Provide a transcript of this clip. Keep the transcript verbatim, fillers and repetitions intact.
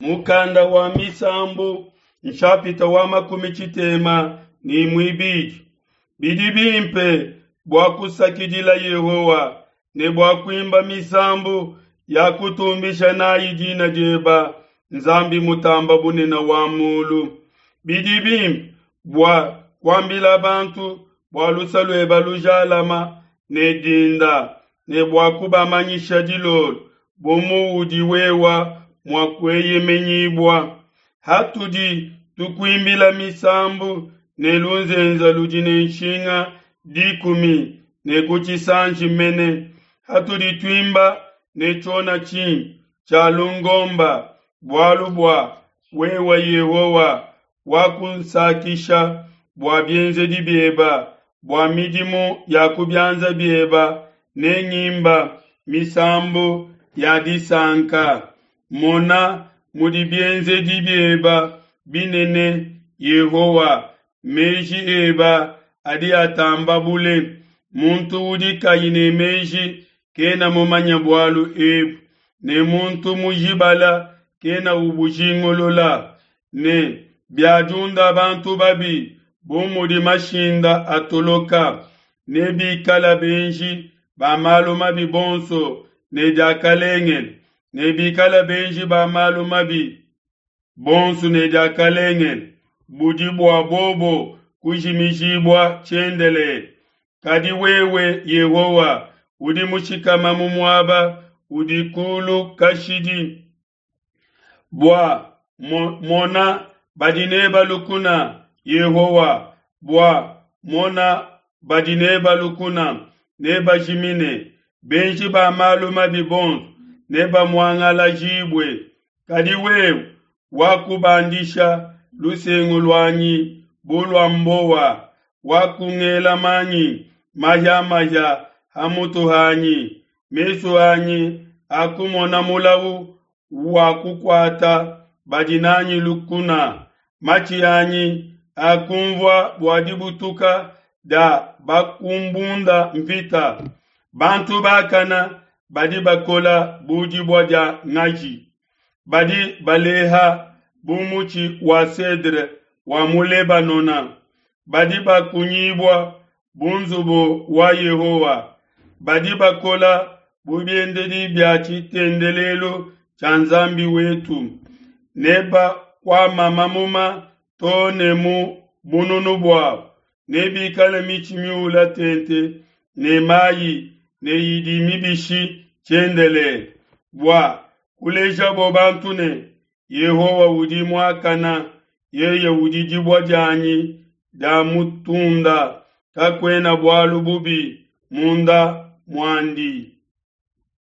Mukanda wa Misambu nshapita wa makumi tshitema ne muibidi. Bidi bimpe bua kusakidila Yehowa ne bua kuimba misambu ya kutumbisha nayi dina dieba, Nzambi Mutamba Bunene wa mulu. Bidi bimpe bua kuambila bantu bua luse lueba lujalama ne dinda ne bua kubamanyisha dilolo bu muudi wewa mua kueyemenyibua. Hatudi tukuimbila misambu ne lunzenze ludi ne nshinga dikumi ne ku tshisanji mene, hatudi tuimba ne tshiona tshimpe tshia lungomba, bualu bua wewe Yehowa wakunsakisha bua bienzedi bieba, bua midimu ya ku bianza bieba ne ngimba misambu ya disanka. Mona mudi bienzedi bieba binene, Yehowa, meji eba adi atamba bule. Muntu udi kayi ne meji kena mumanye bualu ebu, ne muntu mujibala kena ubujingulula. Ne biadiunda bantu babi bu mudi mashinda atoloka, ne bikala benji ba malu mabi bonso ne diakalengele, ne bikala benji ba malu mabi bonso ne diakalengele, budi bua bobo kujimijibua tshiendelele. Kadi wewe Yehowa udi mushikama mu muaba udi kulu kashidi. Bua mona badi neba lukuna, Yehowa, bua mona badi neba lukuna nebajimine, benji ba malu mabi bonso nebamuangalajibue. Kadi wewe wakubandisha lusengu luanyi bu lua mbowa, wakungela manyi mahia-mahia ha mutu hanyi. Mesu anyi akumona mulawu wakukuata badi nanyi lukuna, matshi anyi akunvua bua dibutuka dia bakumbunda mvita. Bantu bakana badi bakola bu dibua dia ngaji, badi baleha bu mutshi wa cedre wa mu Lebanona, badi bakunyibua bu nzubu wa Yehowa, badi bakola bu biendedi bia tshitendelelu tshia Nzambi wetu, ne bakuama mamuma to ne mu bununu buabo, nebikale mitshi miula tente ne mayi ne idi mibishi tshiendelele, bua kulejabo bantu ne, Yehowa udi muakana, yeye udi dibue dianyi dia mutunda, kakuena bualu bubi munda muandi.